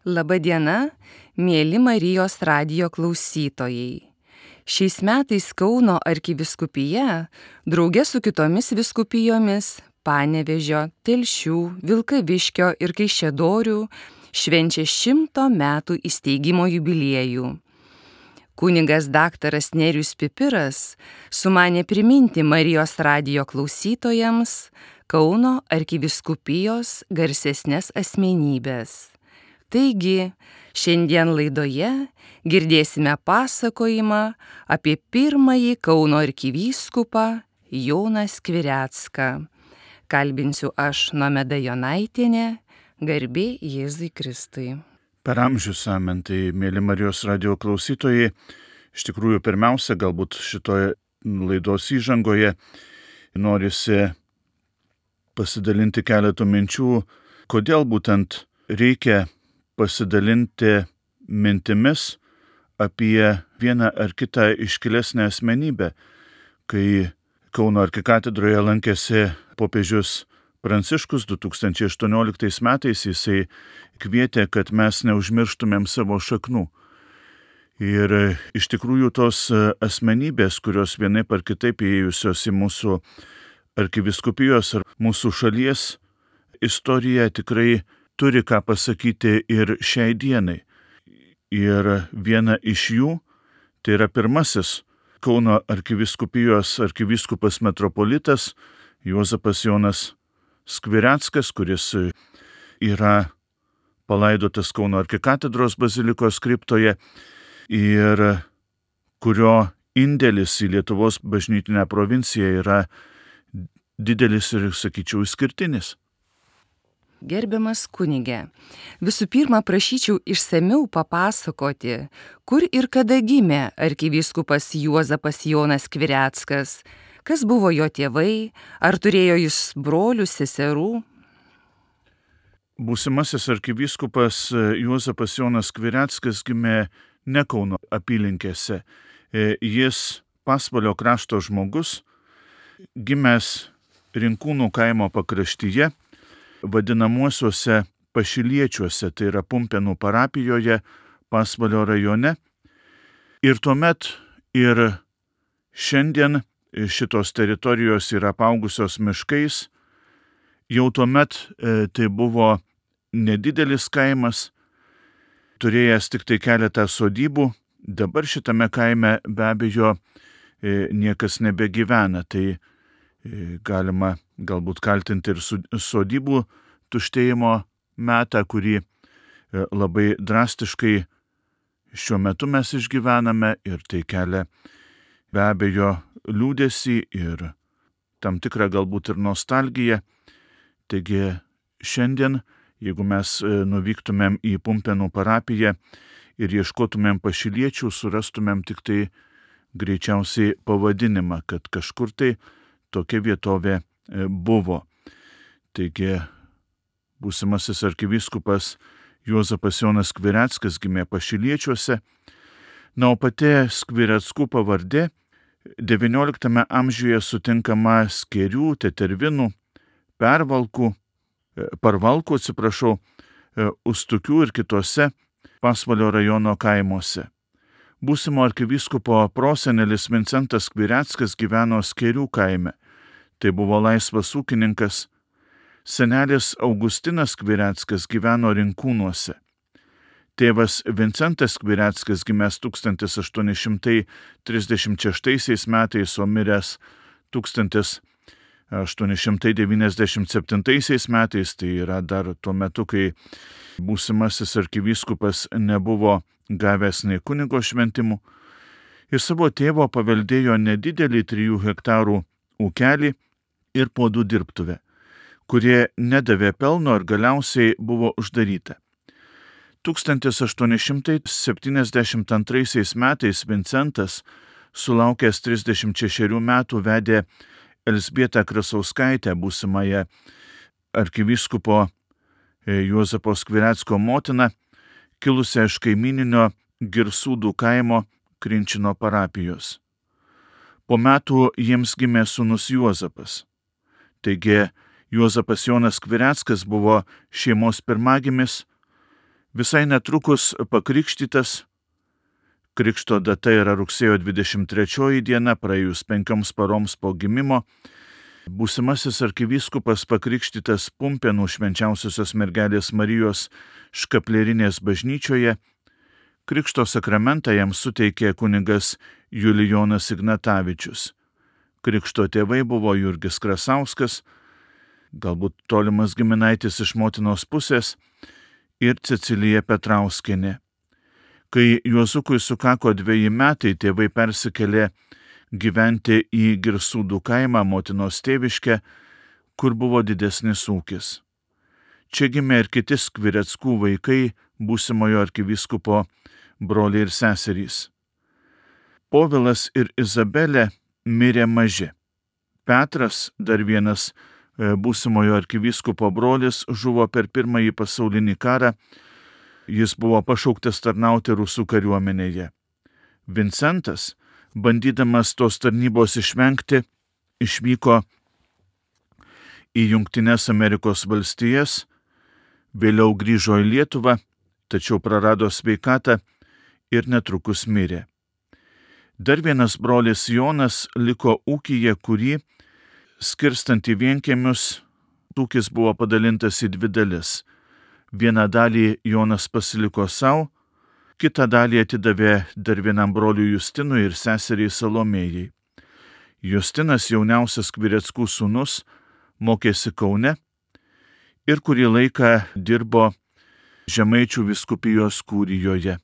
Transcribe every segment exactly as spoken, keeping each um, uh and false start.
Labadiena, mėly Marijos radijo klausytojai. Šiais metais Kauno arkivyskupija, drauge su kitomis vyskupijomis Panevėžio, Telšių, Vilkaviškio ir Kaišiadorių, švenčia šimto metų įsteigimo jubiliejų. Kunigas daktaras Nerijus Pipiras sumanė priminti Marijos radijo klausytojams Kauno arkivyskupijos garsesnes asmenybės. Taigi, šiandien laidoje girdėsime pasakojimą apie pirmąjį Kauno arkivyskupą Joną Skvirecką. Kalbinsiu aš, Nomeda Jonaitienė, garbė Jėzui Kristui. Per amžius amen, tai mėly Marijos radijo klausytojai, iš tikrųjų pirmiausia, galbūt šitoje laidos įžangoje norisi pasidalinti keletų minčių, kodėl būtent reikia pasidalinti mintimis apie vieną ar kitą iškilesnę asmenybę. Kai Kauno arkikatedroje lankėsi popiežius Pranciškus du tūkstančiai aštuonioliktais metais, jisai kvietė, kad mes neužmirštumėm savo šaknų. Ir iš tikrųjų tos asmenybės, kurios vienaip ar kitaip įėjusios į mūsų arkivyskupijos ar mūsų šalies istoriją, tikrai turi ką pasakyti ir šiai dienai. Ir viena iš jų, tai yra pirmasis Kauno arkivyskupijos arkivyskupas metropolitas Juozapas Jonas Skvireckas, kuris yra palaidotas Kauno arkikatedros bazilikos kriptoje ir kurio indėlis į Lietuvos bažnytinę provinciją yra didelis ir, sakyčiau, išskirtinis. Gerbiamas kunige, visų pirma prašyčiau išsamiau papasakoti, kur ir kada gimė arkivyskupas Juozapas Jonas Skvireckas, kas buvo jo tėvai, ar turėjo jis brolių, seserų. Būsimasis arkivyskupas Juozapas Jonas Skvireckas gimė ne Kauno apylinkėse. Jis Pasvalio krašto žmogus, gimęs Rinkūnų kaimo pakraštyje, vadinamuosiuose Pašiliečiuose, tai yra Pumpėnų parapijoje, Pasvalio rajone. Ir tuomet ir šiandien šitos teritorijos yra apaugusios miškais. Jau tuomet e, tai buvo nedidelis kaimas, turėjęs tik tai keletą sodybų. Dabar šitame kaime be abejo e, niekas nebegyvena. Tai e, galima galbūt kaltinti ir sodybų tuštėjimo metą, kurį labai drastiškai šiuo metu mes išgyvename, ir tai kelia be abejo liūdesį ir tam tikrą galbūt ir nostalgiją. Taigi šiandien, jeigu mes nuvyktumėm į Pumpėnų parapiją ir ieškotumėm Pašiliečių, surastumėm tik tai greičiausiai pavadinimą, kad kažkur tai tokia vietovė buvo. Taigi, būsimasis arkivyskupas Juozapas Jonas Skvireckas gimė Pašiliečiuose. Na, o pati Skvireckų pavardė devynioliktame amžiuje sutinkama Skėrių, Tetervinų, Pervalkų, Parvalkų, atsiprašau, Ustukių ir kitose Pasvalio rajono kaimuose. Būsimo arkivyskupo prosenelis Vincentas Skvireckas gyveno Skėrių kaime. Tai buvo laisvas ūkininkas. Senelis Augustinas Skvireckas gyveno Rinkūnuose. Tėvas Vincentas Skvireckas gimęs tūkstantis aštuoni šimtai trisdešimt šeštaisiais metais, o miręs tūkstantis aštuoni šimtai devyniasdešimt septintaisiais metais, tai yra dar tuo metu, kai būsimasis arkivyskupas nebuvo gavęs nei kunigo šventimų. Iš savo tėvo paveldėjo nedidelį trijų hektarų ūkelį ir puodų dirbtuvę, kurie nedavė pelno ir galiausiai buvo uždaryta. tūkstantis aštuoni šimtai septyniasdešimt antraisiais metais Vincentas, sulaukęs trisdešimt šešerių metų, vedė Elzbietą Krasauskaitę, būsimąją arkivyskupo Juozapo Skvirecko motiną, kilusią iš kaimininio Girsūdų kaimo Krinčino parapijos. Po metų jiems gimė sūnus Juozapas. Taigi Juozapas Jonas Skvireckas buvo šeimos pirmagimis, Visai netrukus pakrikštytas, krikšto data yra rugsėjo dvidešimt trečioji diena, praėjus penkioms paroms po gimimo, būsimasis arkivyskupas pakrikštytas Pumpėnų Švenčiausiosios mergelės Marijos škaplierinės bažnyčioje. Krikšto sakramentą jam suteikė kunigas Julijonas Ignatavičius. Krikšto tėvai buvo Jurgis Krasauskas, galbūt tolimas giminaitis iš motinos pusės, ir Cecilija Petrauskienė. Kai Juozukui sukako dveji metai, tėvai persikėlė gyventi į Girsūdų kaimą, motinos tėviškę, kur buvo didesnis ūkis. Čia gimė ir kiti Skvireckų vaikai, būsimojo arkivyskupo broliai ir seserys. Povilas ir Izabelė mirė maži. Petras, dar vienas būsimojo arkivyskupo brolis, žuvo per pirmąjį pasaulinį karą. Jis buvo pašauktas tarnauti rusų kariuomenėje. Vincentas, bandydamas tos tarnybos išvengti, išvyko į Jungtines Amerikos valstijas, vėliau grįžo į Lietuvą, tačiau prarado sveikatą ir netrukus mirė. Dar vienas brolis Jonas liko ūkyje, kurį, skirstant į vienkiemius, ūkis buvo padalintas į dvi dalis. Vieną dalį Jonas pasiliko savo, kitą dalį atidavė dar vienam broliui Justinui ir seseriai Salomėjai. Justinas, jauniausias Skvireckų sūnus, mokėsi Kaune ir kurį laiką dirbo Žemaičių vyskupijos kūrijoje.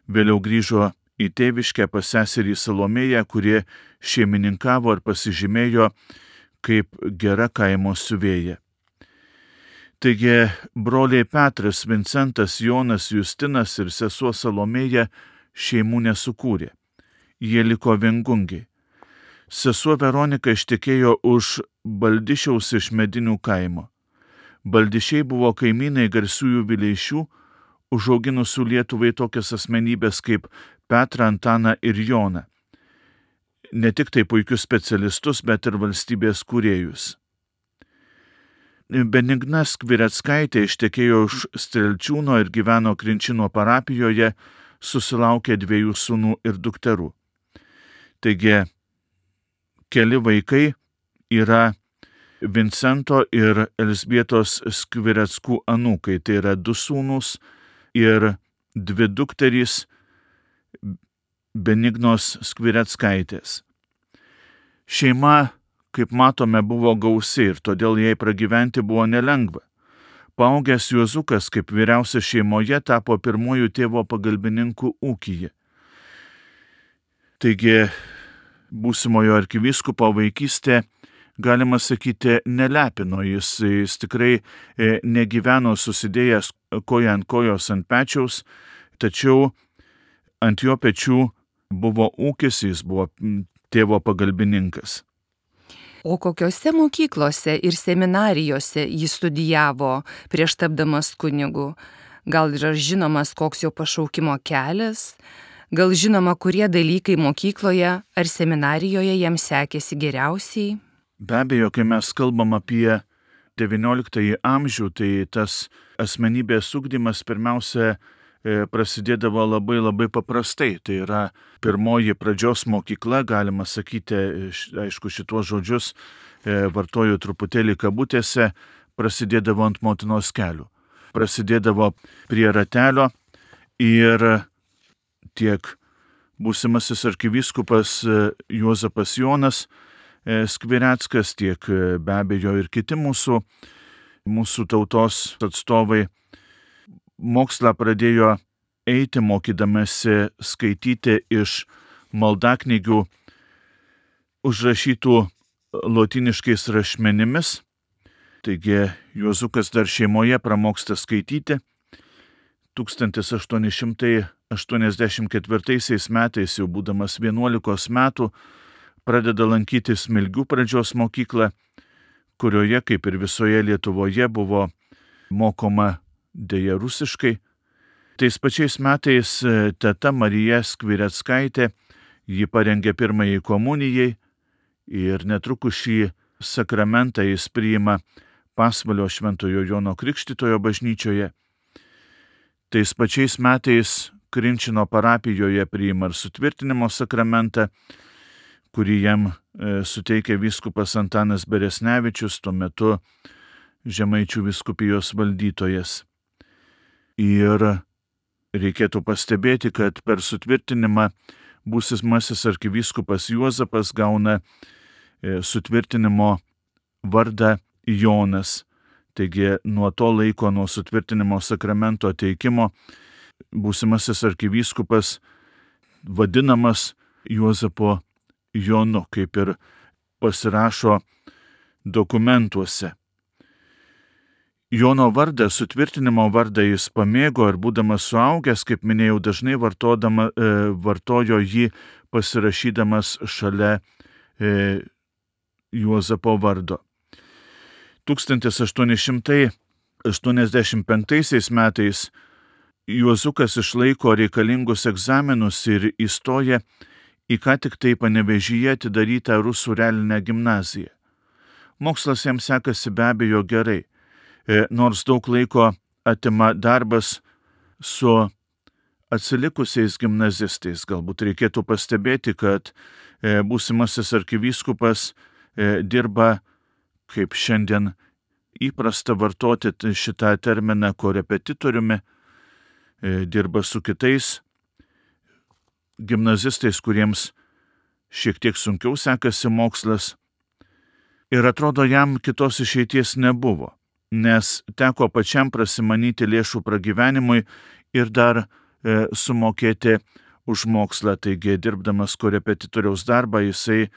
Vėliau grįžo į tėviškę pas seserį Salomėją, kurie šeimininkavo ir pasižymėjo kaip gera kaimo siuvėja. Taigi broliai Petras, Vincentas, Jonas, Justinas ir sesuo Salomėja šeimų nesukūrė. Jie liko viengungiai. Sesuo Veronika ištekėjo už Baldišiaus iš Medinių kaimo. Baldišiai buvo kaimynai garsiųjų Vileišių, užauginusių Lietuvai tokias asmenybės kaip Petrą, Antaną ir Joną. Ne tik tai puikius specialistus, bet ir valstybės kūrėjus. Benigna Skvireckaitė ištekėjo už Strelčiūno ir gyveno Krinčino parapijoje, susilaukė dviejų sūnų ir dukterų. Taigi, keli vaikai yra Vincento ir Elzbietos Skvireckų anūkai, tai yra du sūnūs ir dvi dukterys Benignos Skvireckaitės. Šeima, kaip matome, buvo gausi ir todėl jai pragyventi buvo nelengva. Paaugęs Juozukas, kaip vyriausias šeimoje, tapo pirmojų tėvo pagalbininkų ūkyje. Taigi, būsimojo arkivyskupo vaikystė, galima sakyti, nelepino. Jis, jis tikrai negyveno susidėjęs koja ant kojos ant pečiaus, tačiau ant jo pečių buvo ūkis, jis buvo tėvo pagalbininkas. O kokiose mokyklose ir seminarijose jis studijavo prieš tapdamas kunigu? Gal yra žinomas, koks jo pašaukimo kelias? Gal žinoma, kurie dalykai mokykloje ar seminarijoje jam sekėsi geriausiai? Be abejo, kai mes kalbam apie devynioliktąjį amžių, tai tas asmenybės ugdymas pirmiausia prasidėdavo labai labai paprastai. Tai yra pirmoji pradžios mokykla, galima sakyti, aišku, šituos žodžius vartoju truputėlį kabutėse, prasidėdavo ant motinos kelių. Prasidėdavo prie ratelio ir tiek būsimasis arkivyskupas Juozapas Jonas Skvireckas, tiek be abejo ir kiti mūsų, mūsų tautos atstovai mokslą pradėjo eiti, mokydamasi skaityti iš maldaknygių užrašytų lotyniškais rašmenimis. Taigi Juozukas dar šeimoje pramoksta skaityti. tūkstantis aštuoni šimtai aštuoniasdešimt ketvirtaisiais metais, jau būdamas vienuolikos metų, pradeda lankyti Smilgių pradžios mokyklą, kurioje, kaip ir visoje Lietuvoje, buvo mokoma deja rusiškai. Tais pačiais metais teta Marija Skvireckaitė jį parengė pirmajai komunijai ir netrukus šį sakramentą jis priima Pasvalio Šventojo Jono Krikštytojo bažnyčioje. Tais pačiais metais Krinčino parapijoje priima ir sutvirtinimo sakramentą, kurį jam e, suteikė vyskupas Antanas Beresnevičius, tuo metu Žemaičių vyskupijos valdytojas. Ir reikėtų pastebėti, kad per sutvirtinimą būsimasis arkivyskupas Juozapas gauna e, sutvirtinimo vardą Jonas. Taigi nuo to laiko, nuo sutvirtinimo sakramento teikimo, būsimasis arkivyskupas vadinamas Juozapo Jonu, kaip ir pasirašo dokumentuose. Jono vardą, sutvirtinimo vardą jis pamėgo ir būdamas suaugęs, kaip minėjau, dažnai vartodama, e, vartojo jį pasirašydamas šalia e, Juozapo vardo. tūkstantis aštuoni šimtai aštuoniasdešimt penktaisiais metais Juozukas išlaiko reikalingus egzaminus ir įstoja į ką tik tai Panevėžyje atidarytą rusų realinę gimnaziją. Mokslas jam sekasi be abejo gerai, nors daug laiko atima darbas su atsilikusiais gimnazistais. Galbūt reikėtų pastebėti, kad būsimasis arkivyskupas dirba, kaip šiandien įprasta vartoti šitą terminą, korepetitoriumi, dirba su kitais gimnazistais, kuriems šiek tiek sunkiau sekasi mokslas. Ir atrodo, jam kitos išeities nebuvo, nes teko pačiam prasimanyti lėšų pragyvenimui ir dar e, sumokėti už mokslą. Taigi, dirbdamas korepetitoriaus darbą, jisai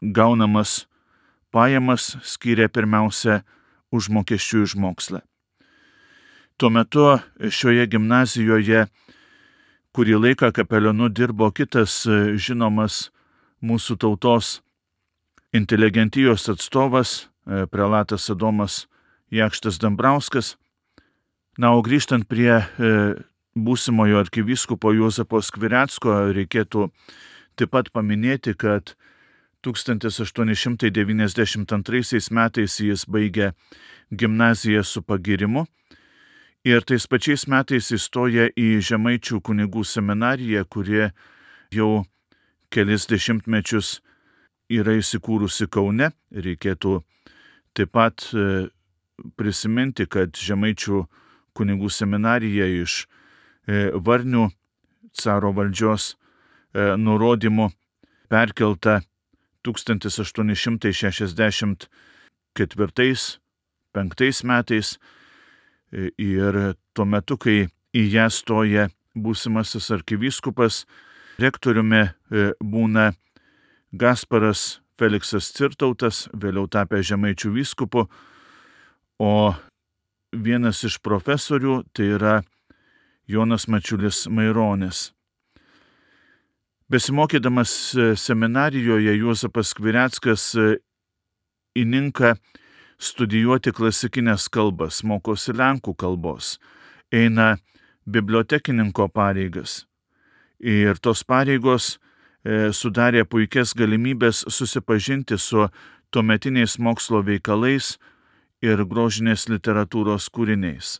gaunamas pajamas skyrė pirmiausia užmokesčių už mokslą. Tuo metu šioje gimnazijoje kurį laiką kapelionu dirbo kitas žinomas mūsų tautos inteligentijos atstovas, prelatas Adomas Jakštas Dambrauskas. Na, o grįžtant prie būsimojo arkivyskupo Juozapo Skvirecko, reikėtų taip pat paminėti, kad tūkstantis aštuoni šimtai devyniasdešimt antraisiais metais jis baigė gimnaziją su pagyrimu ir tais pačiais metais įstoja į Žemaičių kunigų seminariją, kurie jau kelis dešimtmečius yra įsikūrusi Kaune. Reikėtų taip pat prisiminti, kad Žemaičių kunigų seminarija iš Varnių caro valdžios nurodymų perkelta tūkstantis aštuoni šimtai šešiasdešimt ketvirtais penktais metais ir tuo metu, kai į ją stoja būsimasis arkivyskupas, rektoriumi būna Gasparas Feliksas Cirtautas, vėliau tapę Žemaičių vyskupu, o vienas iš profesorių tai yra Jonas Mačiulis Maironis. Besimokydamas seminarijoje, Juozapas Skvireckas įninka studijuoti klasikinės kalbas, mokosi lenkų kalbos, eina bibliotekininko pareigas. Ir tos pareigos e, sudarė puikias galimybės susipažinti su tuometiniais mokslo veikalais ir grožinės literatūros kūriniais.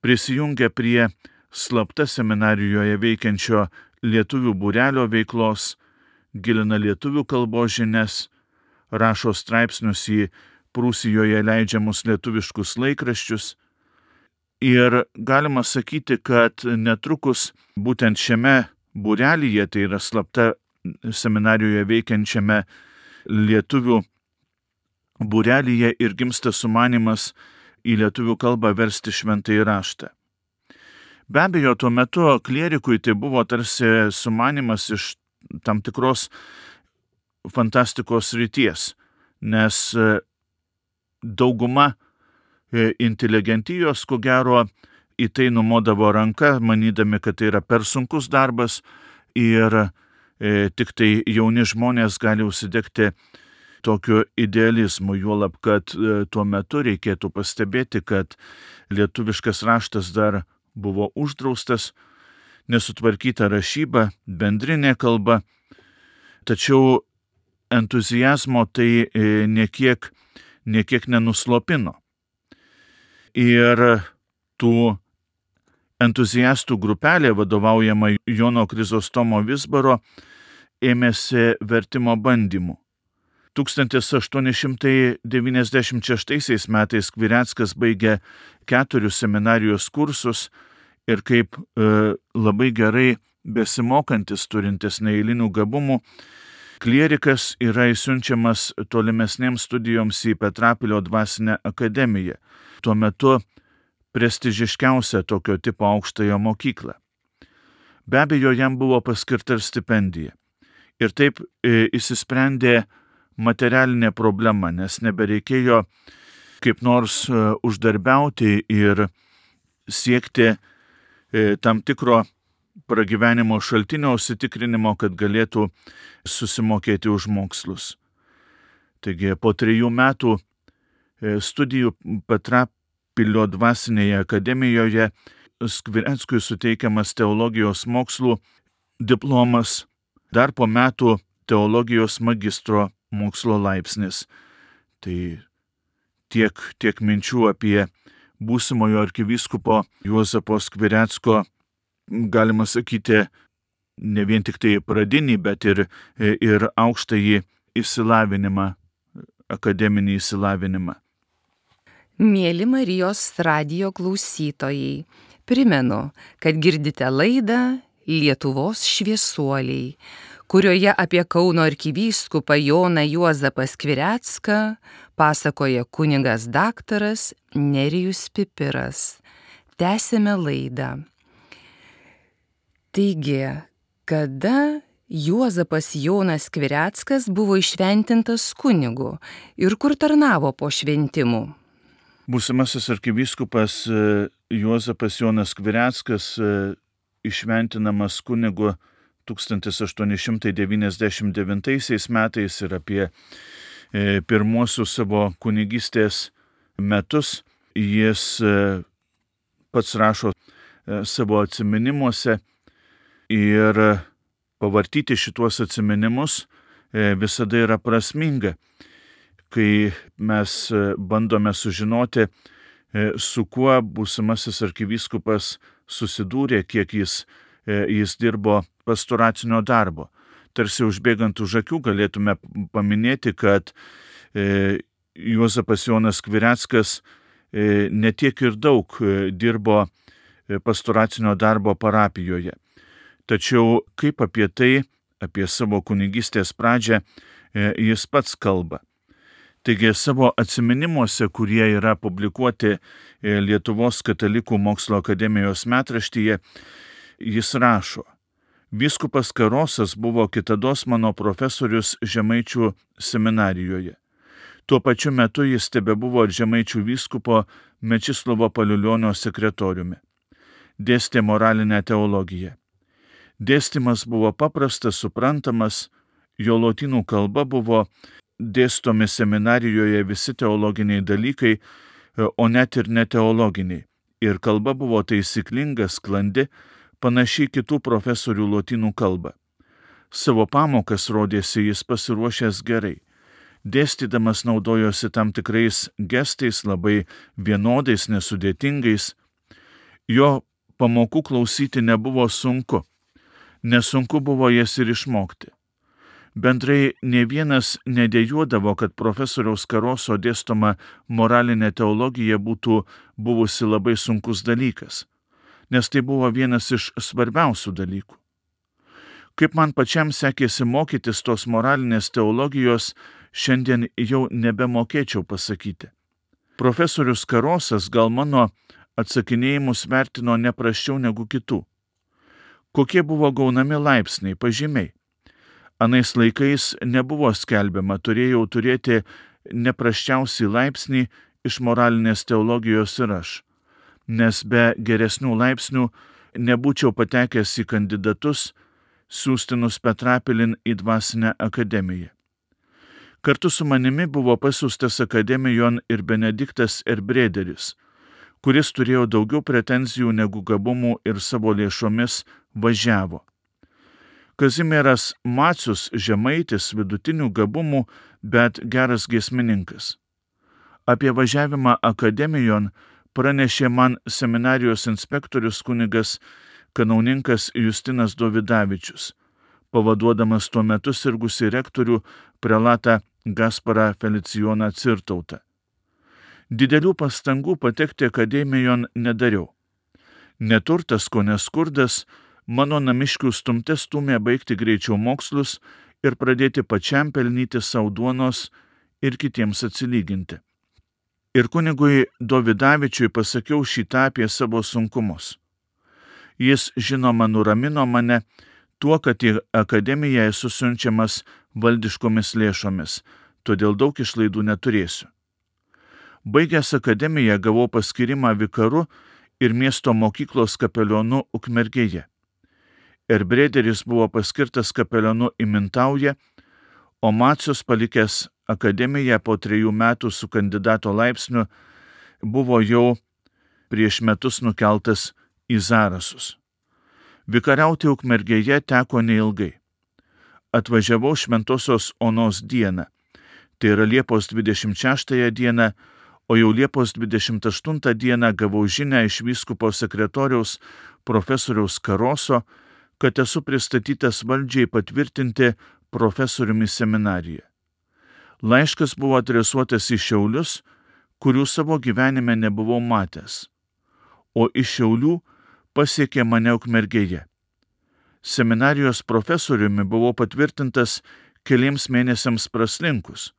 Prisijungia prie slapta seminarijoje veikiančio lietuvių būrelio veiklos, gilina lietuvių kalbos žinias, rašo straipsnius į Prūsijoje leidžiamus lietuviškus laikraščius. Ir galima sakyti, kad netrukus būtent šiame būrelyje, tai yra slapta seminarijoje veikiančiame lietuvių būrelyje, ir gimsta sumanymas į lietuvių kalbą versti šventąjį raštą. Be abejo, tuo metu klierikui tai buvo tarsi sumanymas iš tam tikros fantastikos srities, nes dauguma inteligentijos, ko gero, į tai numodavo ranka, manydami, kad tai yra per sunkus darbas ir e, tik tai jauni žmonės gali užsidegti tokiu idealizmu, juolab, kad e, tuo metu reikėtų pastebėti, kad lietuviškas raštas dar buvo uždraustas, nesutvarkyta rašyba, bendrinė kalba, tačiau entuzijazmo tai e, niekiek, niekiek nenuslopino. Ir tų entuziastų grupelė, vadovaujama Jono Krizostomo Vizbaro, ėmėsi vertimo bandymų. tūkstantis aštuoni šimtai devyniasdešimt šeštaisiais metais Skvireckas baigė keturius seminarijos kursus ir kaip e, labai gerai besimokantis, turintis neeilinių gabumų, klierikas yra įsiunčiamas tolimesnėms studijoms į Petrapilio dvasinę akademiją, tuo metu prestižiškiausią tokio tipo aukštąją mokyklą. Be abejo, jam buvo paskirta ir stipendija. Ir taip e, įsisprendė materialinė problema, nes nebereikėjo kaip nors e, uždarbiauti ir siekti e, tam tikro pragyvenimo šaltinio užsitikrinimo, kad galėtų susimokėti už mokslus. Taigi po trejų metų studijų Petrapilio dvasinėje akademijoje Skvireckui suteikiamas teologijos mokslų diplomas, dar po metų teologijos magistro mokslo laipsnis. Tai tiek, tiek minčių apie būsimojo arkivyskupo Juozapo Skvirecko, galima sakyti, ne vien tik tai pradinį, bet ir, ir aukštąjį išsilavinimą, akademinį išsilavinimą. Mėly Marijos radijo klausytojai, primenu, kad girdite laidą Lietuvos šviesuoliai, kurioje apie Kauno arkivyskupą Joną Juozapą Skvirecką pasakoja kunigas daktaras Nerijus Pipiras. Tęsėme laidą. Taigi, kada Juozapas Jonas Skvireckas buvo įšventintas kunigu ir kur tarnavo po šventimų? Būsimasis arkivyskupas Juozapas Jonas Skvireckas įšventinamas kunigu tūkstantis aštuoni šimtai devyniasdešimt devintaisiais metais ir apie pirmuosius savo kunigystės metus jis pats rašo savo atsiminimuose. Ir pavartyti šituos atsiminimus visada yra prasminga, kai mes bandome sužinoti, su kuo būsimasis arkivyskupas susidūrė, kiek jis, jis dirbo pastoracinio darbo. Tarsi užbėgant už akių galėtume paminėti, kad Juozapas Jonas Skvireckas ne tiek ir daug dirbo pastoracinio darbo parapijoje. Tačiau kaip apie tai, apie savo kunigystės pradžią, jis pats kalba. Taigi savo atsiminimuose, kurie yra publikuoti Lietuvos katalikų mokslo akademijos metraštyje, jis rašo: Vyskupas Karosas buvo kitados mano profesorius Žemaičių seminarijoje. Tuo pačiu metu jis tebebuvo Žemaičių vyskupo Mečislovo Paliulionio sekretoriumi. Dėstė moralinę teologiją. Dėstymas buvo paprastas, suprantamas, jo lotynų kalba buvo dėstomi seminarijoje visi teologiniai dalykai, o net ir neteologiniai. Ir kalba buvo taisyklinga, sklandi, panašiai kitų profesorių lotynų kalbą. Savo pamokas rodėsi jis pasiruošęs gerai. Dėstydamas naudojosi tam tikrais gestais, labai vienodais, nesudėtingais. Jo pamokų klausyti nebuvo sunku. Nesunku buvo jas ir išmokti. Bendrai ne vienas nedėjuodavo, kad profesoriaus Karoso dėstoma moralinė teologija būtų buvusi labai sunkus dalykas, nes tai buvo vienas iš svarbiausių dalykų. Kaip man pačiam sekėsi mokytis tos moralinės teologijos, šiandien jau nebemokėčiau pasakyti. Profesorius Karosas gal mano atsakinėjimus vertino ne prasčiau negu kitų. Kokie buvo gaunami laipsniai, pažymiai? Anais laikais nebuvo skelbiama, turėjau turėti neprasčiausiai laipsnį iš moralinės teologijos ir aš, nes be geresnių laipsnių nebūčiau patekęs į kandidatus, siųstinus Petrapilin į dvasinę akademiją. Kartu su manimi buvo pasiųstas akademijon ir Benediktas Erbrederis, kuris turėjo daugiau pretenzijų negu gabumų ir savo lėšomis važiavo. Kazimieras Macius žemaitis, vidutinių gabumų, bet geras giesmininkas. Apie važiavimą akademijon pranešė man seminarijos inspektorius kunigas kanauninkas Justinas Dovidavičius, pavaduodamas tuo metu sirgusį rektorių prelatą Gasparą Felicijoną Cirtautą. Didelių pastangų patekti akademijon nedariau. Neturtas, ko neskurdas, mano namiškių stumte stumė baigti greičiau mokslus ir pradėti pačiam pelnyti savo duonos ir kitiems atsilyginti. Ir kunigui Dovidavičiui pasakiau šitą apie savo sunkumus. Jis, žinoma, nuramino mane tuo, kad į akademiją esu siunčiamas valdiškomis lėšomis, todėl daug išlaidų neturėsiu. Baigęs akademiją gavau paskyrimą vikaru ir miesto mokyklos kapelionu Ukmergėje. Erbrederis buvo paskirtas kapelionu į Mintaują, o Macius, palikęs akademiją po trejų metų su kandidato laipsniu, buvo jau prieš metus nukeltas į Zarasus. Vikariauti Ukmergėje teko neilgai. Atvažiavau Šventosios Onos dieną, tai yra Liepos dvidešimt šeštąją dieną, o jau Liepos dvidešimt aštuntą dieną gavau žinią iš vyskupo sekretoriaus profesoriaus Karoso, kad esu pristatytas valdžiai patvirtinti profesoriumi seminariją. Laiškas buvo adresuotas į Šiaulius, kurių savo gyvenime nebuvau matęs, o iš Šiaulių pasiekė mane Ukmergėje. Seminarijos profesoriumi buvau patvirtintas keliems mėnesiams praslinkus,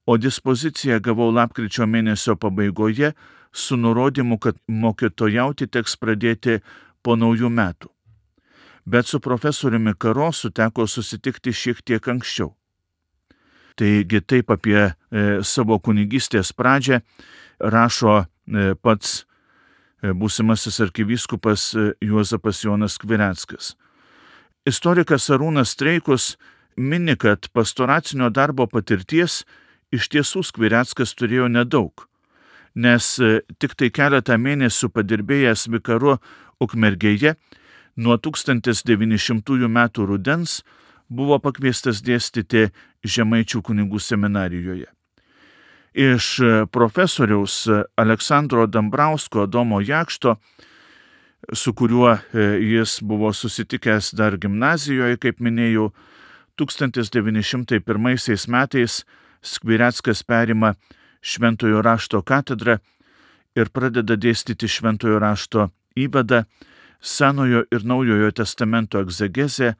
o dispoziciją gavau lapkričio mėnesio pabaigoje su nurodymu, kad mokytojauti teks pradėti po naujų metų. Bet su profesoriumi Karosu teko susitikti šiek tiek anksčiau. Taigi taip apie e, savo kunigystės pradžią rašo e, pats e, būsimasis arkivyskupas e, Juozapas Jonas Skvireckas. Istorikas Arūnas Streikus mini, kad pastoracinio darbo patirties iš tiesų Skvireckas turėjo nedaug, nes e, tik tai keletą mėnesių padirbėjęs vikaru Ukmergėje, nuo tūkstantis devyni šimtųjų metų rudens buvo pakviestas dėstyti Žemaičių kunigų seminarijoje. Iš profesoriaus Aleksandro Dambrausko Adomo Jakšto, su kuriuo jis buvo susitikęs dar gimnazijoje, kaip minėjau, tūkstantis devyni šimtai pirmaisiais metais Skvireckas perima Šventojo rašto katedrą ir pradeda dėstyti Šventojo rašto įvadą, Senojo ir Naujojo testamento egzegezę,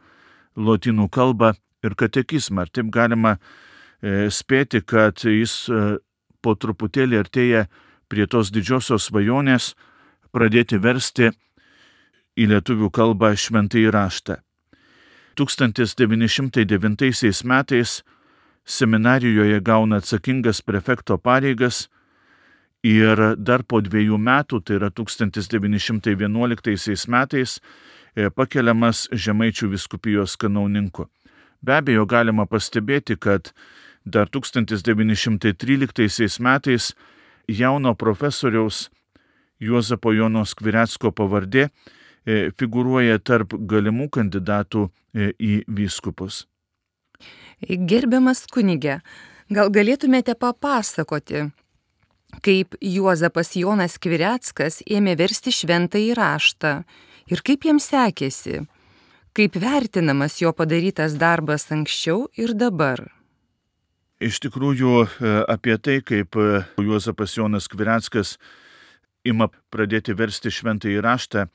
lotynų kalbą ir katekizmą. Ir taip galima e, spėti, kad jis e, po truputėlį artėja prie tos didžiosios svajonės pradėti versti į lietuvių kalbą Šventąjį raštą. tūkstantis devyni šimtai devintaisiais metais seminarijoje gauna atsakingas prefekto pareigas ir dar po dviejų metų, tai yra tūkstantis devyni šimtai vienuoliktaisiais metais, pakeliamas Žemaičių vyskupijos kanauninku. Be abejo, galima pastebėti, kad dar tūkstantis devyni šimtai tryliktaisiais metais jauno profesoriaus Juozapo Jono Skvirecko pavardė figūruoja tarp galimų kandidatų į vyskupus. Gerbiamas kunige, gal galėtumėte papasakoti, kaip Juozapas Jonas Skvireckas ėmė versti Šventąjį raštą ir kaip jam sekėsi, kaip vertinamas jo padarytas darbas anksčiau ir dabar. Iš tikrųjų, apie tai, kaip Juozapas Jonas Skvireckas ima pradėti versti Šventąjį raštą,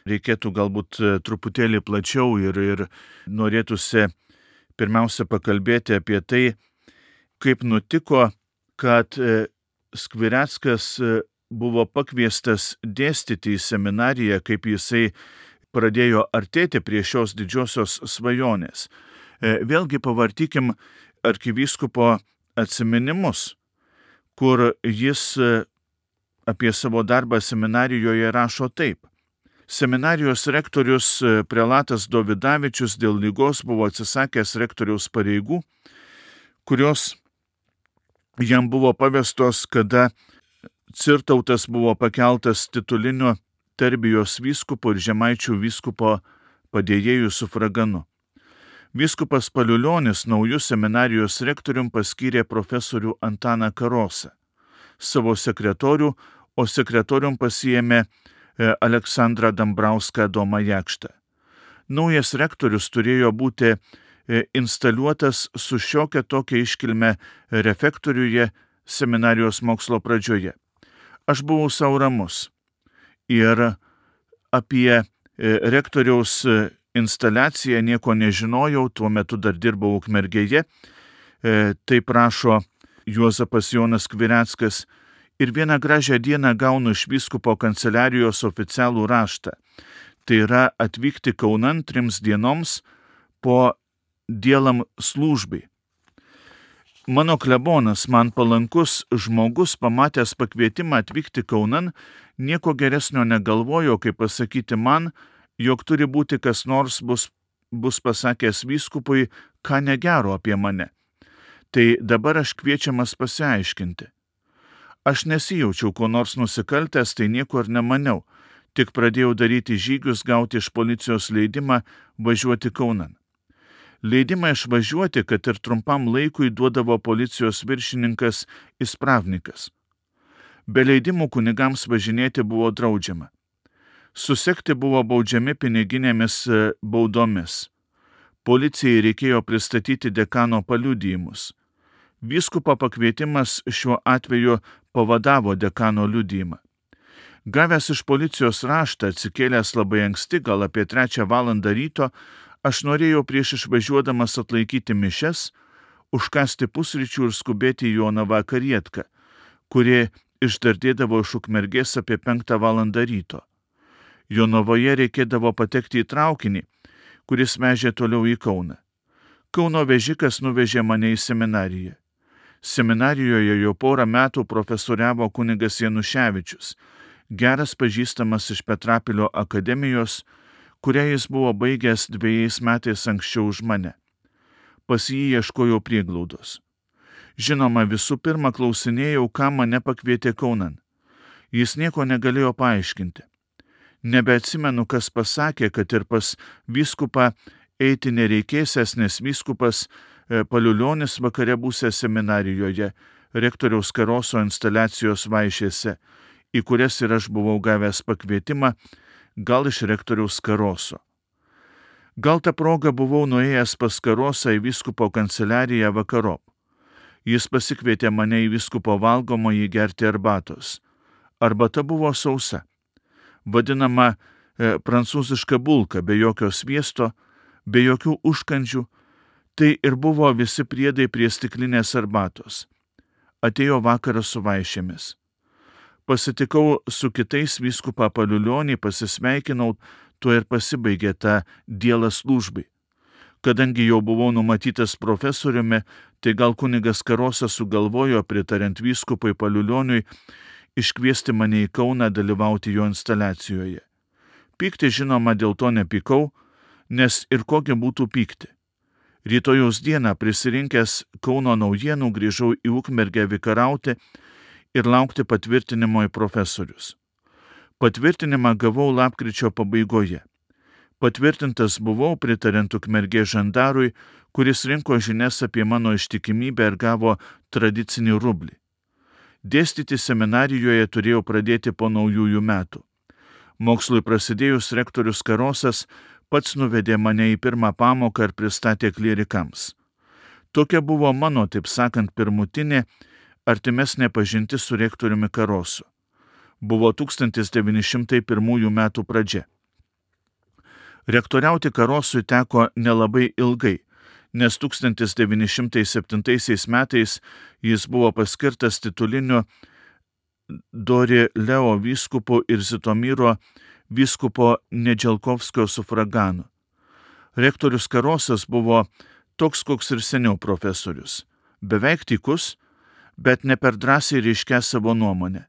reikėtų galbūt truputėlį plačiau ir, ir norėtųsi pirmiausia pakalbėti apie tai, kaip nutiko, kad Skvireckas buvo pakviestas dėstyti į seminariją, kaip jisai pradėjo artėti prie šios didžiosios svajonės. Vėlgi pavartykim arkivyskupo atsiminimus, kur jis apie savo darbą seminarijoje rašo taip. Seminarijos rektorius prelatas Dovidavičius dėl ligos buvo atsisakęs rektoriaus pareigų, kurios jam buvo pavestos, kada Cirtautas buvo pakeltas tituliniu Terbijos vyskupu ir Žemaičių vyskupo padėjėjų sufraganu. Vyskupas Paliulionis naujų seminarijos rektorium paskyrė profesorių Antaną Karosą, savo sekretorių o sekretorium pasiėmė Aleksandrą Dambrauską Adomą Jakštą. Naujas rektorius turėjo būti instaliuotas su šiokia tokia iškilme refektoriuje seminarijos mokslo pradžioje. Aš buvau sau ramus ir apie rektoriaus instaliaciją nieko nežinojau, tuo metu dar dirbau Ukmergėje, taip rašo Juozapas Jonas Skvireckas, ir vieną gražią dieną gaunu iš vyskupo kanceliarijos oficialų raštą. Tai yra atvykti Kaunan trims dienoms po dielam slūžbai. Mano klebonas, man palankus žmogus, pamatęs pakvietimą atvykti Kaunan, nieko geresnio negalvojo, kaip pasakyti man, jog turi būti kas nors bus, bus pasakęs vyskupui, ką negero apie mane. Tai dabar aš kviečiamas pasiaiškinti. Aš nesijaučiau ko nors nusikaltęs, tai nieko ir nemaniau, tik pradėjau daryti žygius gauti iš policijos leidimą važiuoti Kaunan. Leidimą išvažiuoti, kad ir trumpam laikui duodavo policijos viršininkas Ispravnikas. Be leidimų kunigams važinėti buvo draudžiama. Susekti buvo baudžiami piniginėmis baudomis. Policijai reikėjo pristatyti dekano paliudijimus. Vyskupo pakvietimas šiuo atveju pavadavo dekano liudijimą. Gavęs iš policijos raštą, atsikėlęs labai anksti, gal apie trečią valandą ryto, aš norėjau prieš išvažiuodamas atlaikyti mišes, užkasti pusryčių ir skubėti į Jonavą karietką, kuri išdardėdavo iš Ukmergės apie penktą valandą ryto. Jonavoje reikėdavo patekti į traukinį, kuris vežė toliau į Kauną. Kauno vežikas nuvežė mane į seminariją. Seminarijoje jau porą metų profesoriavo kunigas Januševičius, geras pažįstamas iš Petrapilio akademijos, kurią jis buvo baigęs dviejais metais anksčiau už mane. Pas jį ieškojau prieglaudos. Žinoma, visų pirma klausinėjau, ką mane pakvietė Kaunan. Jis nieko negalėjo paaiškinti. Nebeatsimenu, kas pasakė, kad ir pas vyskupą eiti nereikėsęs, nes vyskupas Paliulionis vakare būsęs seminarijoje, rektoriaus Karoso instaliacijos vaišėse, į kurias ir aš buvau gavęs pakvietimą, gal iš rektoriaus Karoso. Gal tą progą buvau nuėjęs pas Karosą į vyskupo kanceliariją vakarop. Jis pasikvietė mane į vyskupo valgomąjį gerti arbatos. Arbata buvo sausa, vadinama e, prancūziška bulka, be jokio sviesto, be jokių užkandžių. Tai ir buvo visi priedai prie stiklinės arbatos. Atėjo vakaras su vaišėmis. Pasitikau su kitais vyskupą Paliulionį, pasisveikinau, tuo ir pasibaigė ta dielas slūžbai. Kadangi jau buvau numatytas profesoriumi, tai gal kunigas Karosas sugalvojo, pritariant vyskupui Paliulioniui, iškviesti mane į Kauną dalyvauti jo instaliacijoje. Pykti, žinoma, dėl to nepykau, nes ir kokia būtų pykti. Rytojaus dieną prisirinkęs Kauno naujienų grįžau į Ukmergę vikarauti ir laukti patvirtinimo į profesorius. Patvirtinimą gavau lapkričio pabaigoje. Patvirtintas buvau pritariant Ukmergės žandarui, kuris rinko žinias apie mano ištikimybę ir gavo tradicinį rublį. Dėstyti seminarijoje turėjau pradėti po naujųjų metų. Mokslui prasidėjus rektorius Karosas pats nuvedė mane į pirmą pamoką ir pristatė klierikams. Tokia buvo mano, taip sakant, pirmutinė, artimesnė pažintis su rektoriumi Karosu. Buvo tūkstantis devyni šimtai pirmųjų metų pradžia. Rektoriauti Karosui teko nelabai ilgai, nes tūkstantis devyni šimtai septintaisiais metais jis buvo paskirtas tituliniu Dori Leo vyskupu ir Zitomyro vyskupo Nedželkovskio sufraganu. Rektorius Karosas buvo toks, koks ir seniau profesorius. Beveik tykus, bet ne per drąsiai reiškia savo nuomonę.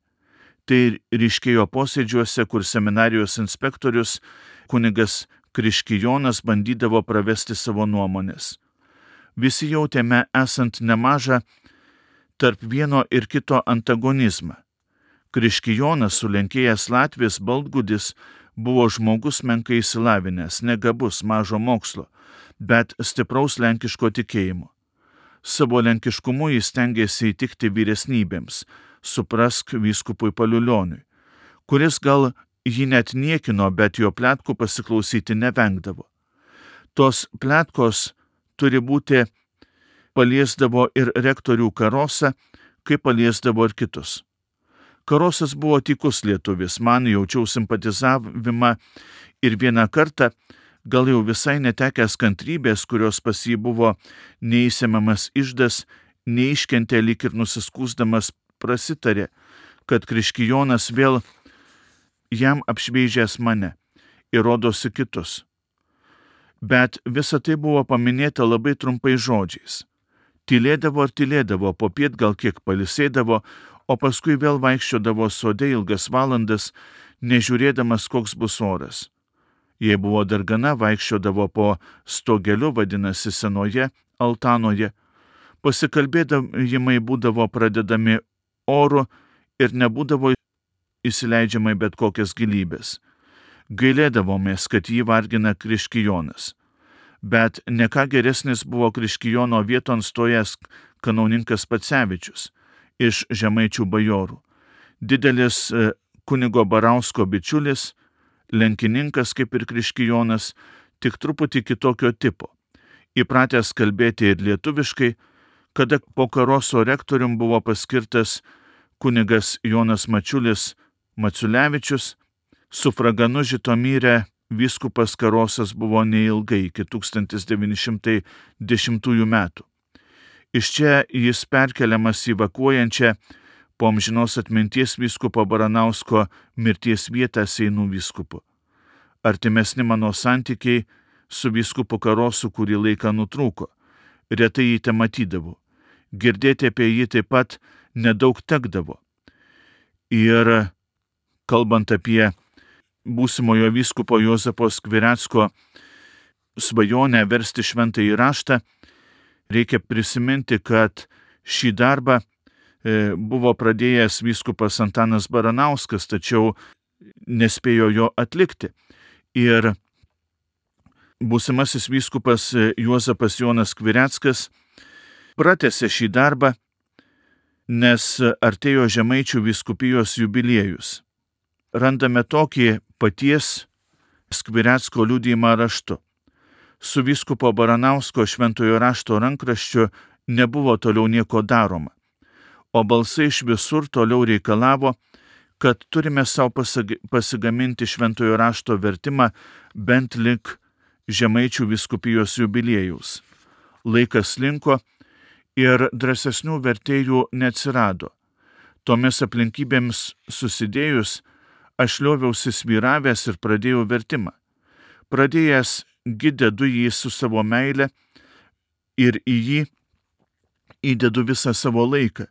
Tai ryškėjo posėdžiuose, kur seminarijos inspektorius kunigas Kriškijonas bandydavo pravesti savo nuomonės. Visi jautėme esant nemažą tarp vieno ir kito antagonizmą. Kriškijonas, sulenkėjęs Latvis Baltgudis, buvo žmogus menkai išsilavinęs, negabus, mažo mokslo, bet stipraus lenkiško tikėjimo. Savo lenkiškumu jis stengėsi įtikti vyresnybėms, suprask vyskupui Paliulioniui, kuris gal jį net niekino, bet jo pletkų pasiklausyti nevengdavo. Tos pletkos turi būti paliesdavo ir rektorių Karosą, kaip paliesdavo ir kitus. Karosas buvo tykus lietuvis, man jaučiau simpatizavimą ir vieną kartą, gal jau visai netekęs kantrybės, kurios pas jį buvo neįsemiamas išdas, neiškentė lyg ir nusiskūsdamas prasitarė, kad Kriškijonas vėl jam apšmeižęs mane ir rodosi kitus. Bet visa tai buvo paminėta labai trumpai žodžiais. Tylėdavo ar tylėdavo, popiet gal kiek palisėdavo, o paskui vėl vaikščiodavo sode ilgas valandas, nežiūrėdamas, koks bus oras. Jei buvo dar gana, vaikščiodavo po stogeliu, vadinasi senoje altanoje. Pasikalbėdavimai būdavo pradedami oru ir nebūdavo įsileidžiamai bet kokias gilybės. Gailėdavomės, kad jį vargina Kriškijonas. Bet ne ką geresnis buvo Kriškijono vieton stojęs kanauninkas Pacevičius iš žemaičių bajorų. Didelis kunigo Barausko bičiulis, lenkininkas kaip ir Kriškijonas, tik truputį kitokio tipo. Įpratęs kalbėti ir lietuviškai, kada po Karoso rektorium buvo paskirtas kunigas Jonas Mačiulis Maciulevičius, sufraganu Žitomyre vyskupas Karosas buvo neilgai iki tūkstantis devyni šimtai dešimtųjų metų. Iš čia jis perkeliamas į vakuojančią po amžinos atminties vyskupo Baranausko mirties vietą Seinų vyskupu. Artimesni mano santykiai su vyskupu Karosu kurį laiką nutrūko. Retai jį te matydavau. Girdėti apie jį taip pat nedaug tekdavo. Ir kalbant apie būsimojo vyskupo Juozapo Skvirecko svajonę versti šventąjį raštą, reikia prisiminti, kad šį darbą buvo pradėjęs vyskupas Antanas Baranauskas, tačiau nespėjo jo atlikti. Ir būsimasis vyskupas Juozapas Jonas Skvireckas pratęsė šį darbą, nes artėjo žemaičių vyskupijos jubiliejus. Randame tokį paties Skvirecko liudijimą raštu. Su vyskupo Baranausko šventojo rašto rankraščiu nebuvo toliau nieko daroma, o balsai iš visur toliau reikalavo, kad turime savo pasigaminti šventojo rašto vertimą bent lik žemaičių vyskupijos jubiliejaus. Laikas linko ir drąsesnių vertėjų neatsirado. Tomis aplinkybėms susidėjus, aš lioviausi svyravęs ir pradėjau vertimą. Pradėjęs gidedu jį su savo meile ir į jį įdedu visą savo laiką,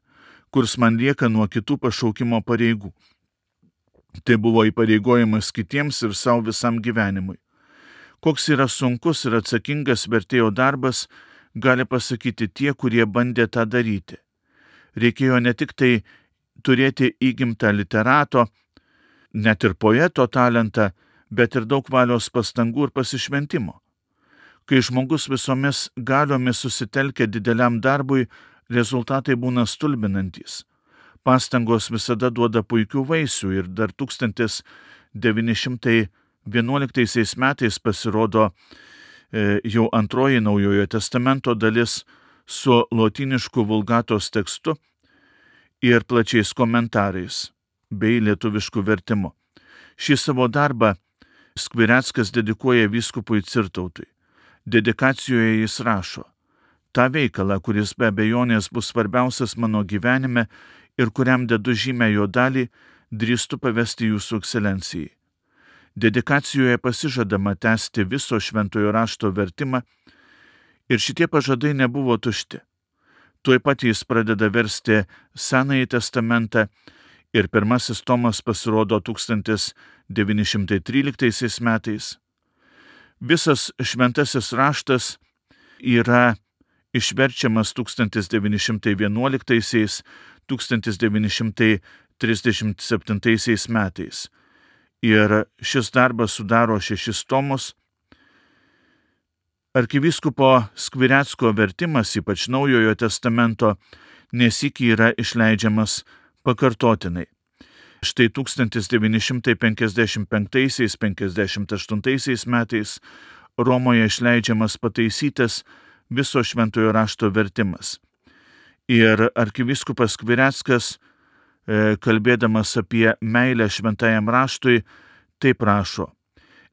kurs man lieka nuo kitų pašaukimo pareigų. Tai buvo įpareigojimas kitiems ir savo visam gyvenimui. Koks yra sunkus ir atsakingas vertėjo darbas, gali pasakyti tie, kurie bandė tą daryti. Reikėjo ne tik tai turėti įgimtą literato, net ir poeto talentą, bet ir daug valios pastangų ir pasišventimo. Kai žmogus visomis galiomis susitelkia dideliam darbui, rezultatai būna stulbinantys. Pastangos visada duoda puikių vaisių ir dar tūkstantis devyni šimtai vienuoliktaisiais metais pasirodo e, jau antroji Naujojo testamento dalis su lotynišku vulgatos tekstu ir plačiais komentarais bei lietuvišku vertimu. Šį savo darbą Skvireckas dedikuoja vyskupui Cirtautui. Dedikacijoje jis rašo: tą veikalą, kuris be abejonės bus svarbiausias mano gyvenime ir kuriam dedu žymę jo dalį, drįstu pavesti jūsų ekscelencijai. Dedikacijoje pasižadama tęsti viso šventojo rašto vertimą ir šitie pažadai nebuvo tušti. Tuoj pat jis pradeda versti Senąjį testamentą ir pirmasis tomas pasirodo tūkstantis devyni šimtai tryliktaisiais metais. Visas šventasis raštas yra išverčiamas tūkstantis devyni šimtai vienuoliktaisiais - tūkstantis devyni šimtai trisdešimt septintaisiais metais. Ir šis darbas sudaro šešis tomus. Arkivyskupo Skvirecko vertimas, ypač Naujojo testamento, nesyk yra išleidžiamas pakartotinai. Štai tūkstantis devyni šimtai penkiasdešimt penktaisiais - penkiasdešimt aštuntaisiais metais Romoje išleidžiamas pataisytas viso šventojo rašto vertimas. Ir arkivyskupas Skvireckas, kalbėdamas apie meilę šventajam raštui, taip rašo: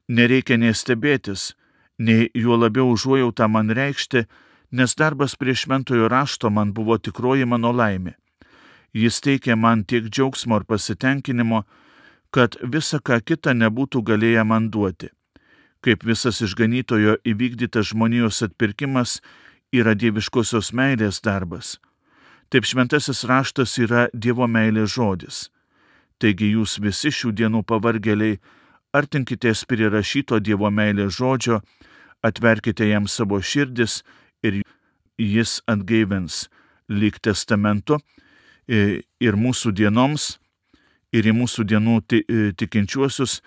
nereikia nei stebėtis, nei juo labiau užuojautą man reikšti, nes darbas prie šventojo rašto man buvo tikroji mano laimė. Jis teikė man tiek džiaugsmo ir pasitenkinimo, kad visa ką kita nebūtų galėję man duoti. Kaip visas išganytojo įvykdytas žmonijos atpirkimas yra dieviškosios meilės darbas, taip šventasis raštas yra Dievo meilės žodis. Taigi jūs visi šių dienų pavargėliai, artinkitės prie rašyto Dievo meilės žodžio, atverkite jam savo širdis ir jis atgaivins lyg testamentu ir mūsų dienoms, ir į mūsų dienų tikinčiuosius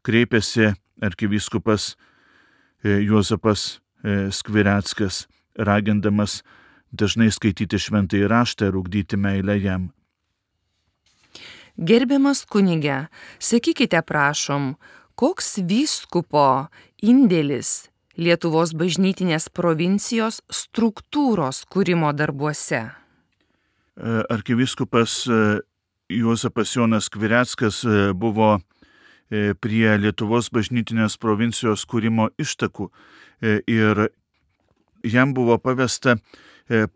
kreipėsi arkivyskupas Juozapas Skvireckas, ragindamas dažnai skaityti šventąjį raštą ir ugdyti meilę jam. Gerbiamas kunige, sakykite prašom, koks vyskupo indėlis Lietuvos bažnytinės provincijos struktūros kūrimo darbuose? Arkivyskupas Juozapas Jonas Skvireckas buvo prie Lietuvos bažnytinės provincijos kūrimo ištakų ir jam buvo pavesta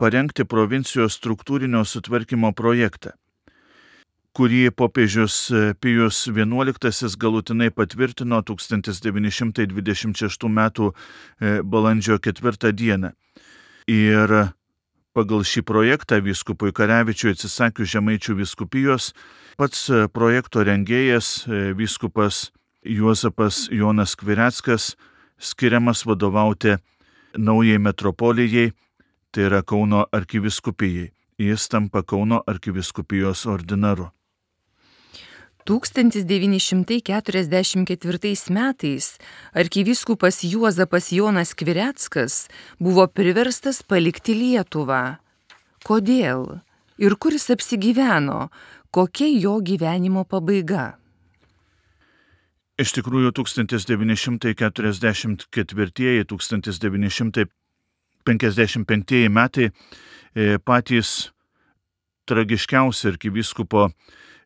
parengti provincijos struktūrinio sutvarkymo projektą, kurį popiežius Pijus vienuoliktasis galutinai patvirtino tūkstantis devyni šimtai dvidešimt šeštų metų balandžio ketvirtą dieną. Ir pagal šį projektą vyskupui Karevičiui atsisakius Žemaičių vyskupijos, pats projekto rengėjas vyskupas Juozapas Jonas Skvireckas skiriamas vadovauti naujai metropolijai, tai yra Kauno arkivyskupijai. Jis tampa Kauno arkivyskupijos ordinaru. tūkstantis devyni šimtai keturiasdešimt ketvirtais metais arkivyskupas Juozapas Jonas Skvireckas buvo priverstas palikti Lietuvą. Kodėl? Ir kur jis apsigyveno? Kokia jo gyvenimo pabaiga? Iš tikrųjų, tūkstantis devyni šimtai keturiasdešimt ketvirtieji - tūkstantis devyni šimtai penkiasdešimt penktieji metai patys tragiškiausi arkivyskupo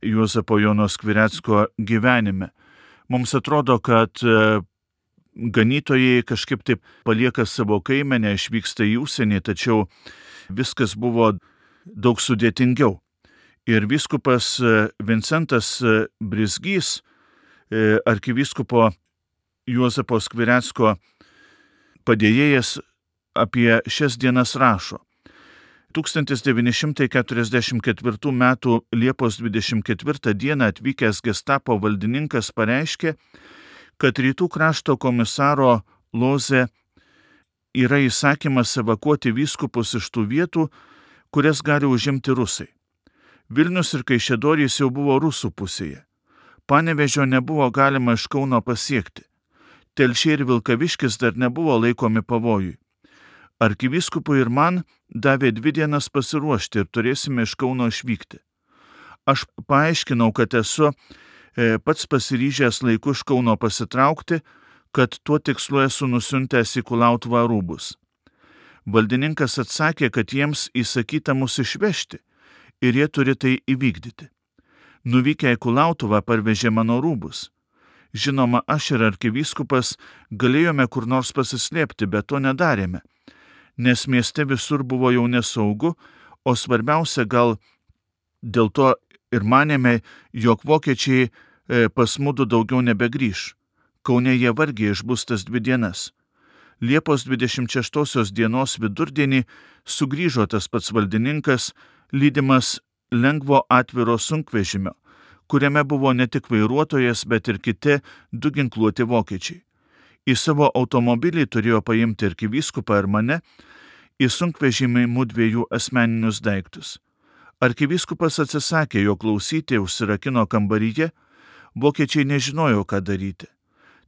Juozapo Jono Skvirecko gyvenime. Mums atrodo, kad ganytojai kažkaip taip palieka savo kaimenę, išvyksta į užsienį, tačiau viskas buvo daug sudėtingiau. Ir vyskupas Vincentas Brizgys, arkivyskupo Juozapo Skvirecko padėjėjas, apie šias dienas rašo: tūkstantis devyni šimtai keturiasdešimt ketvirtų metų Liepos dvidešimt ketvirtą dieną atvykęs gestapo valdininkas pareiškė, kad rytų krašto komisaro Loze yra įsakymas evakuoti vyskupus iš tų vietų, kurias gali užimti rusai. Vilnius ir Kaišiadorys jau buvo rusų pusėje. Panevežio nebuvo galima iš Kauno pasiekti. Telšiai ir Vilkaviškis dar nebuvo laikomi pavojui. Arkivyskupui ir man davė dvi dienas pasiruošti ir turėsime iš Kauno išvykti. Aš paaiškinau, kad esu e, pats pasiryžęs laiku iš Kauno pasitraukti, kad tuo tikslu esu nusiuntęs į Kulautuvą rūbus. Valdininkas atsakė, kad jiems įsakyta mus išvežti ir jie turi tai įvykdyti. Nuvykę į Kulautuvą parvežė mano rūbus. Žinoma, aš ir arkivyskupas galėjome kur nors pasislėpti, bet to nedarėme, nes mieste visur buvo jau nesaugu, o svarbiausia gal dėl to ir manėme, jog vokiečiai pas mudu daugiau nebegrįš. Kaune jie vargiai išbus tas dvi dienas. Liepos dvidešimt šeštosios dienos vidurdienį sugrįžo tas pats valdininkas, lydimas lengvo atviro sunkvežimio, kuriame buvo ne tik vairuotojas, bet ir kiti du ginkluoti vokiečiai. Į savo automobilį turėjo paimti arkivyskupą ir mane, į sunkvežimį mudviejų asmeninius daiktus. Arkivyskupas atsisakė jo klausyti, užsirakino kambaryje, vokiečiai nežinojo, ką daryti.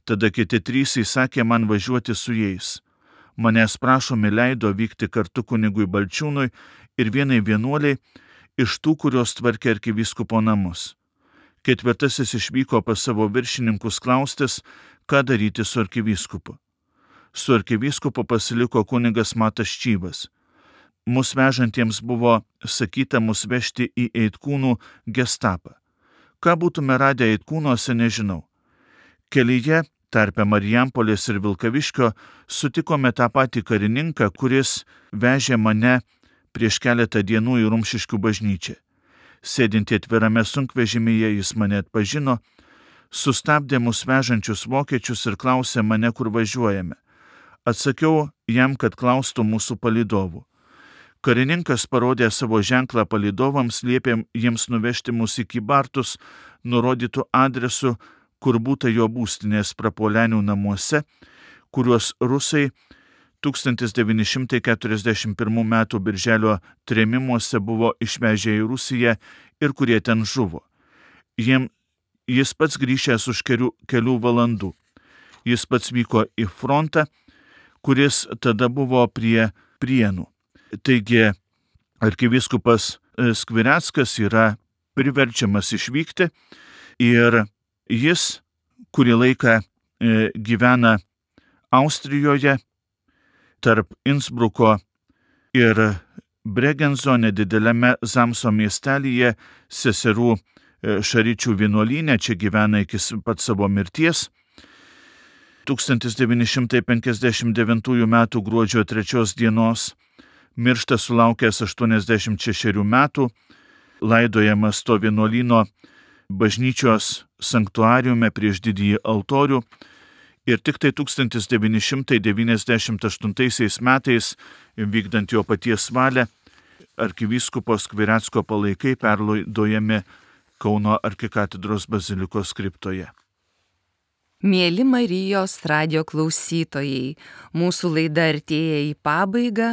Tada kiti trys įsakė man važiuoti su jais. Manęs prašomi leido vykti kartu kunigui Balčiūnui ir vienai vienuoliai iš tų, kurios tvarkė arkivyskupo namus. Ketvirtasis išvyko pas savo viršininkus klaustis, ką daryti su arkivyskupu. Su arkivyskupu pasiliko kunigas Matas Čyvas. Mus vežantiems buvo sakyta mus vežti į Eitkūnų gestapą. Ką būtume radę Eitkūnuose, nežinau. Kelyje, tarpe Marijampolės ir Vilkaviškio, sutikome tą patį karininką, kuris vežė mane prieš keletą dienų į Rumšiškių bažnyčią. Sėdinti atvirame sunkvežimyje jis mane atpažino, sustabdė mus vežančius vokiečius ir klausė mane, kur važiuojame. Atsakiau jam, kad klaustų mūsų palydovų. Karininkas parodė savo ženklą palydovams, liepė jiems nuvežti mus į Kybartus, nurodytų adresu, kur būta jo būstinės Prapuolenių namuose, kuriuos rusai tūkstantis devyni šimtai keturiasdešimt pirmų metų birželio trėmimuose buvo išvežę į Rusiją ir kurie ten žuvo. Jiem, jis pats grįžęs už kelių, kelių valandų. Jis pats vyko į frontą, kuris tada buvo prie Prienų. Taigi arkivyskupas Skvireckas yra priverčiamas išvykti ir jis kurį laiką gyvena Austrijoje, tarp Innsbruko ir Bregenzo nedidelėme Zamso miestelyje, seserų Šaričių vienuolyne, čia gyvena iki pat savo mirties. tūkstantis devyni šimtai penkiasdešimt devintųjų metų gruodžio trečios dienos miršta sulaukęs aštuoniasdešimt šešerių metų, laidojamas to vienuolyno bažnyčios sanktuariume prieš didįjį altorių. Ir tik tai tūkstantis devyni šimtai devyniasdešimt aštuntaisiais metais, vykdant jo paties valią, arkivyskupo Skvirecko palaikai perlaidojami Kauno arkikatedros bazilikos kriptoje. Mieli Marijos radijo klausytojai, mūsų laida artėja į pabaigą.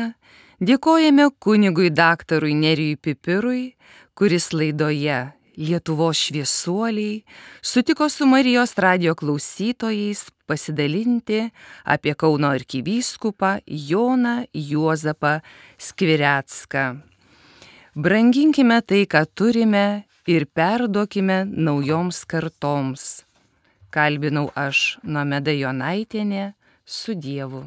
Dėkojame kunigui daktarui Nerijui Pipirui, kuris laidoje Lietuvos šviesuoliai sutiko su Marijos radijo klausytojais pasidalinti apie Kauno arkivyskupą Joną Juozapą Skvirecką. Branginkime tai, ką turime, ir perduokime naujoms kartoms. Kalbinau aš, Nomeda Jonaitienė, su Dievu.